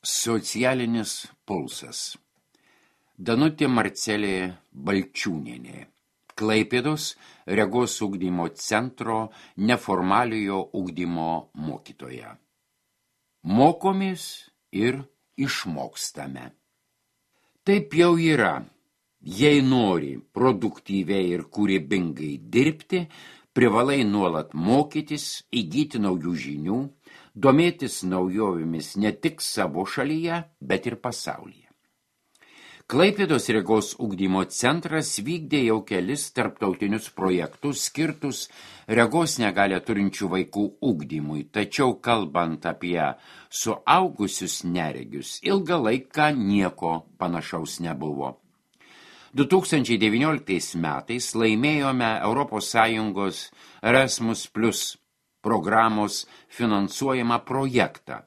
Socialinis pulsas. Danutė Marcelė Balčiūnienė. Klaipėdos regos ugdymo centro neformaliojo ugdymo mokytoja. Mokomės ir išmokstame. Taip jau yra. Jei nori produktyviai ir kūrybingai dirbti, privalai nuolat mokytis, įgyti naujų žinių, domėtis naujovėmis ne tik savo šalyje, bet ir pasaulyje. Klaipėdos regos ugdymo centras vykdė jau kelis tarptautinius projektus skirtus regos negalią turinčių vaikų ugdymui, tačiau kalbant apie suaugusius neregius, ilgą laiką nieko panašaus nebuvo. 2019 metais laimėjome ES Erasmus Plus programos finansuojamą projektą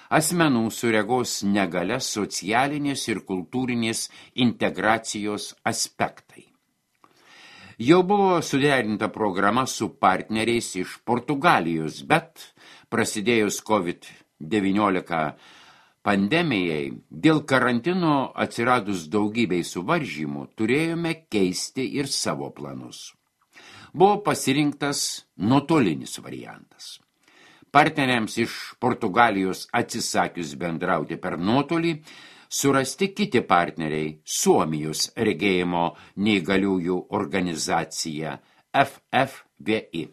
asmenų su regos negalia socialinės ir kultūrinės integracijos aspektai. Jau buvo suderinta programa su partneriais iš Portugalijos, bet prasidėjus COVID-19 pandemijai, dėl karantino atsiradus daugybei suvaržymų, turėjome keisti ir savo planus. Buvo pasirinktas nuotolinis variantas. Partneriams iš Portugalijos atsisakius bendrauti per nuotolį, surasti kiti partneriai Suomijos regėjimo neįgaliųjų organizacija FFVI.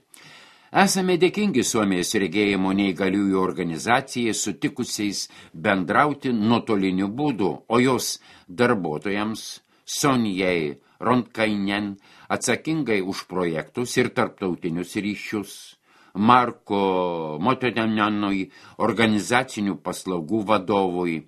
Esame dėkingi Suomijos regėjimo neįgaliųjų organizacijai sutikusiais bendrauti nuotoliniu būdu, o jos darbuotojams Sonjai Ronkainen atsakingai už projektus ir tarptautinius ryšius, Marko Motodenanui organizacinių paslaugų vadovui,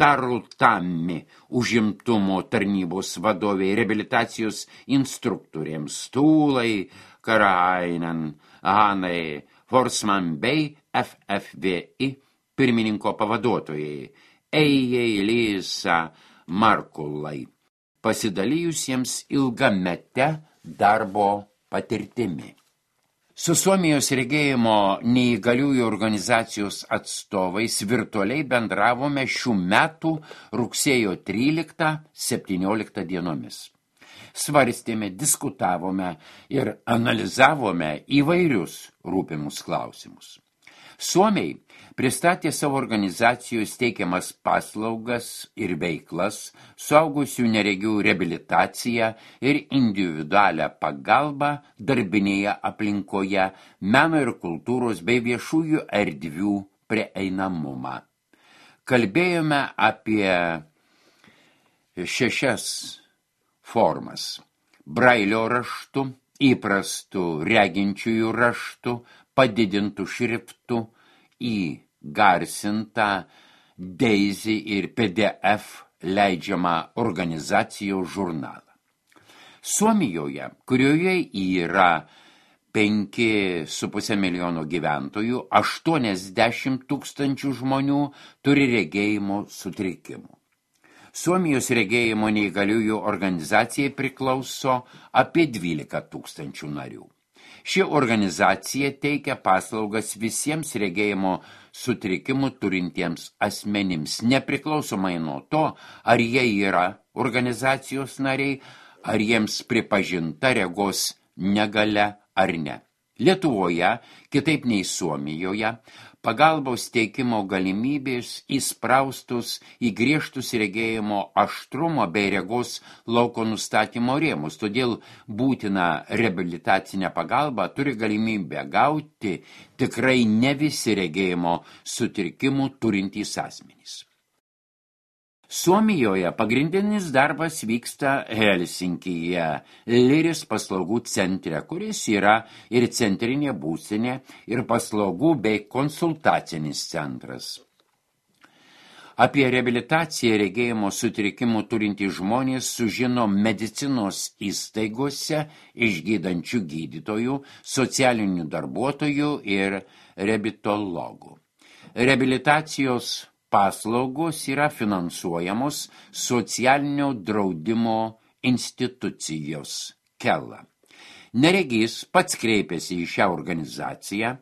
Taru Tammi užimtumo tarnybos vadoviai, reabilitacijos instruktoriams, Tūlai Karainen, Hanai Forsman bei FFVI pirmininko pavaduotojai, Eijai Lysa Markulai, pasidalijusiems ilgamete darbo patirtimi. Su Suomijos regėjimo neįgaliųjų organizacijos atstovais virtualiai bendravome šių metų rugsėjo 13-17 dienomis. Svarstėme, diskutavome ir analizavome įvairius rūpimus klausimus. Suomiai pristatė savo organizacijos teikiamas paslaugas ir veiklas, suaugusių neregių reabilitaciją ir individualią pagalbą darbinėje aplinkoje, meno ir kultūros bei viešųjų erdvių prieinamumą. Kalbėjome apie 6 formas: brailio raštu, įprastų reginčiųjų raštu, padidintų šriftų, įgarsintą Daisy ir PDF leidžiamą organizacijos žurnalą. Suomijoje, kurioje yra 5,5 milijono gyventojų, 80 000 žmonių turi regėjimo sutrikimų. Suomijos regėjimo neįgaliųjų organizacijai priklauso apie 12 000 narių. Ši organizacija teikia paslaugas visiems regėjimo sutrikimų turintiems asmenims, nepriklausomai nuo to, ar jie yra organizacijos nariai, ar jiems pripažinta regos negalia ar ne. Lietuvoje, kitaip nei Suomijoje, pagalbos teikimo galimybės įspraustus į griežtus regėjimo aštrumo bei regos lauko nustatymo rėmus, todėl būtina reabilitacinę pagalbą turi galimybę gauti tikrai ne visi regėjimo sutrikimų turintys asmenys. Suomijoje pagrindinis darbas vyksta Helsinkyje, Liris paslaugų centre, kuris yra ir centrinė būstinė, ir paslaugų bei konsultacinis centras. Apie reabilitaciją regėjimo sutrikimų turintys žmonės sužino medicinos įstaigose išgydančių gydytojų, socialinių darbuotojų ir reabilitologų. Reabilitacijos paslaugos yra finansuojamos socialinio draudimo institucijos KELA. Neregys pats kreipėsi į šią organizaciją,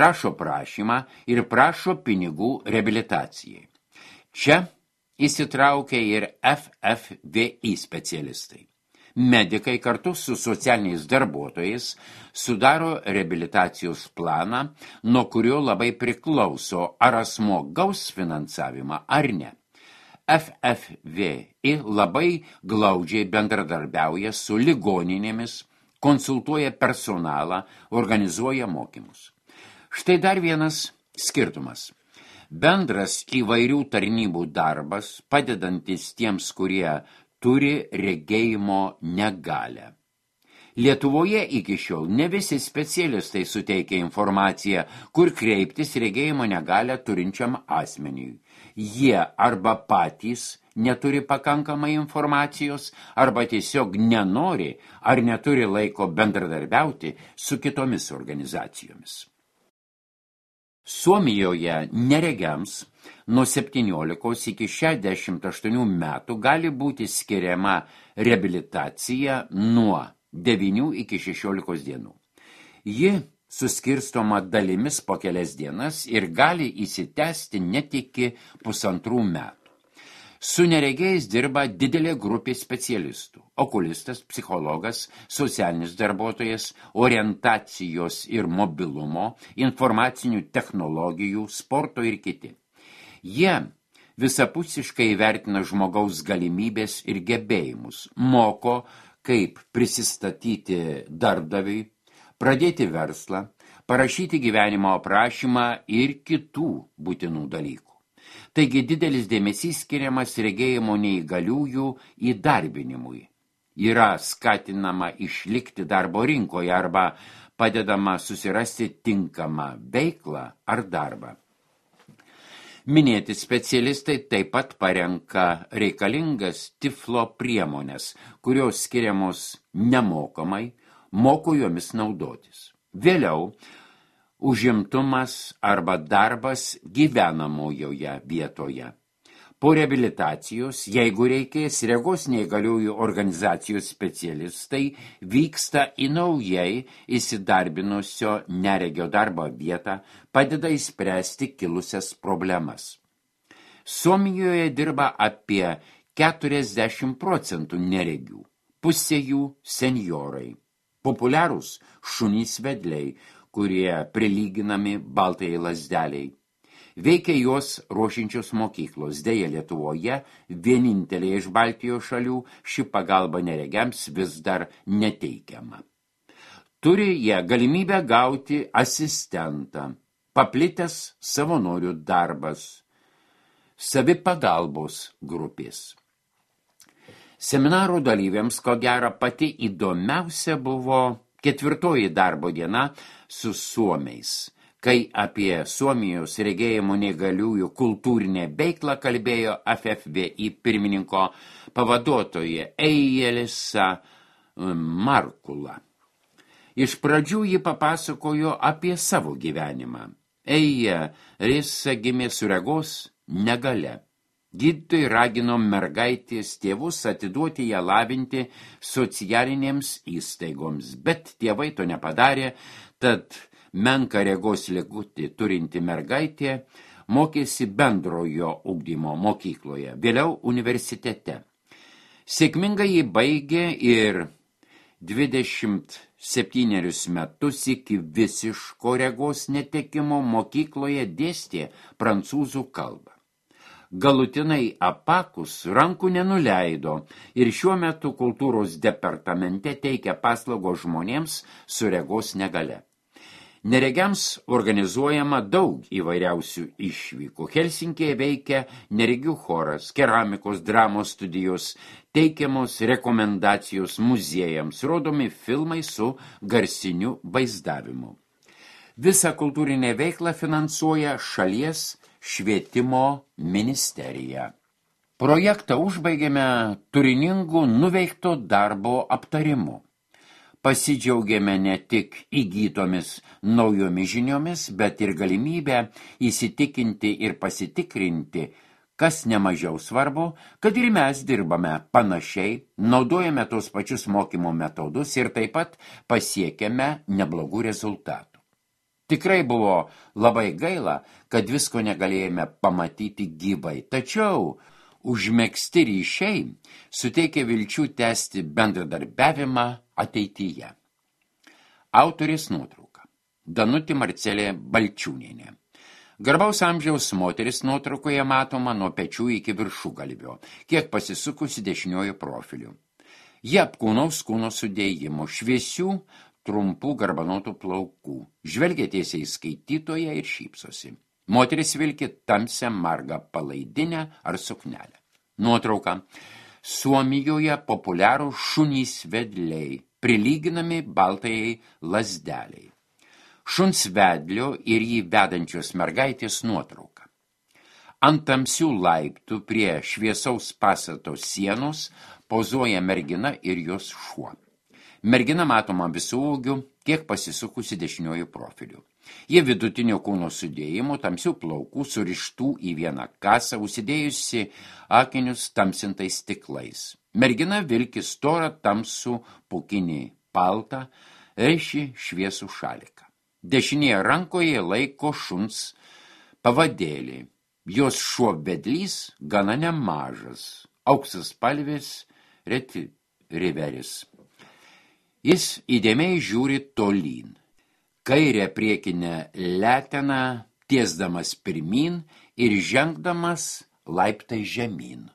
rašo prašymą ir prašo pinigų reabilitacijai. Čia įsitraukia ir FFVI specialistai. Medikai kartu su socialiniais darbuotojais sudaro reabilitacijos planą, nuo kurio labai priklauso, ar asmuo gaus finansavimą ar ne. FFVI labai glaudžiai bendradarbiauja su ligoninėmis, konsultuoja personalą, organizuoja mokymus. Štai dar vienas skirtumas. Bendras įvairių tarnybų darbas, padedantis tiems, kurie turi regėjimo negalią. Lietuvoje iki šiol ne visi specialistai suteikia informaciją, kur kreiptis regėjimo negalią turinčiam asmeniui. Jie arba patys neturi pakankamai informacijos, arba tiesiog nenori ar neturi laiko bendradarbiauti su kitomis organizacijomis. Suomijoje neregiams nuo 17 iki 68 metų gali būti skiriama reabilitacija nuo 9 iki 16 dienų. Ji suskirstoma dalimis po kelias dienas ir gali įsitęsti net iki 1,5 metų. Su neregiais dirba didelė grupė specialistų – okulistas, psichologas, socialinis darbuotojas, orientacijos ir mobilumo, informacinių technologijų, sporto ir kiti. Jie visapusiškai vertina žmogaus galimybės ir gebėjimus, moko, kaip prisistatyti darbdaviui, pradėti verslą, parašyti gyvenimo aprašymą ir kitų būtinų dalykų. Taigi didelis dėmesys skiriamas regėjimo neįgaliųjų įdarbinimui. Yra skatinama išlikti darbo rinkoje arba padedama susirasti tinkamą veiklą ar darbą. Minėti specialistai taip pat parenka reikalingas tiflo priemonės, kurios skiriamos nemokamai, moko jomis naudotis. Vėliau užimtumas arba darbas gyvenamojoje vietoje. Po reabilitacijos, jeigu reikės, regos neįgaliųjų organizacijos specialistai vyksta į naujai įsidarbinusio neregio darbo vietą, padeda išspręsti kilusias problemas. Suomijoje dirba apie 40% neregių, pusė jų senjorai. Populiarūs šunys vedliai, kurie prilyginami baltai lazdeliai. Veikia juos ruošiančios mokyklos. Deja, Lietuvoje, vienintelė iš Baltijos šalių, ši pagalba neregiams vis dar neteikiama. Turi jie galimybę gauti asistentą, paplitęs savanorių darbas, savipagalbos grupės. Seminaro dalyviams, ko gero, pati įdomiausia buvo 4. darbo diena su suomiais, kai apie Suomijos regėjimo neįgaliųjų kultūrinę veiklą kalbėjo FFVI pirmininko pavaduotoja Elisa Markula. Iš pradžių ji papasakojo apie savo gyvenimą. Elisa gimė su regos negalia. Gydytojai ragino mergaitės tėvus atiduoti ją lavinti socialinėms įstaigoms, bet tėvai to nepadarė, tad menką regos ligutį turinti mergaitė mokėsi bendrojo ugdymo mokykloje, vėliau universitete. Sėkmingai jį baigė ir 27 metus iki visiško regos netekimo mokykloje dėstė prancūzų kalbą. Galutinai apakus rankų nenuleido ir šiuo metu kultūros departamente teikia paslaugos žmonėms su regos negale. Neregiams organizuojama daug įvairiausių išvykų. Helsinkėje veikia neregių choras, keramikos, dramos studijos, teikiamos rekomendacijos muziejams, rodomi filmai su garsiniu vaizdavimu. Visą kultūrinę veiklą finansuoja šalies švietimo ministerija. Projektą užbaigėme turiningų nuveikto darbo aptarimu. Pasidžiaugėme ne tik įgytomis naujomis žiniomis, bet ir galimybę įsitikinti ir pasitikrinti, kas nemažiau svarbu, kad ir mes dirbame panašiai, naudojame tos pačius mokymo metodus ir taip pat pasiekėme neblogų rezultatų. Tikrai buvo labai gaila, kad visko negalėjome pamatyti gyvai, tačiau užmegzti ryšiai suteikia vilčių tęsti bendradarbiavimą ateityje. Autorės nuotrauka. Danutė Marcelė Balčiūnienė. Garbaus amžiaus moteris nuotraukoje matoma nuo pečių iki viršugalvio, kiek pasisukusi dešiniojo profiliu. Jie apkūnaus kūno sudėjimo, šviesių, trumpų garbanotų plaukų, žvelgia tiesiai į skaitytoją ir šypsosi. Moteris vilki tamsią margą palaidinę ar suknelę. Nuotrauka. Suomijoje populiarų šunys vedliai, prilyginami baltajai lazdeliai. Šuns vedlio ir jį vedančios mergaitės nuotrauka. Ant tamsių laiptų prie šviesaus pastato sienos pozuoja mergina ir jos šuo. Mergina matoma visų ūgių, kiek pasisukusi dešiniojų profilių. Jie vidutinio kūno sudėjimo, tamsių plaukų, surištų į vieną kasą, užsidėjusi akinius tamsintais stiklais. Mergina vilki storą tamsų pūkinį paltą, reiši šviesų šaliką. Dešinėje rankoje laiko šuns pavadėlį. Jos šuo vedlys gana nemažas, auksas spalvės retriveris. Jis įdėmiai žiūri tolyn. Kairę priekinę leteną tiesdamas pirmyn ir žengdamas laiptai žemyn.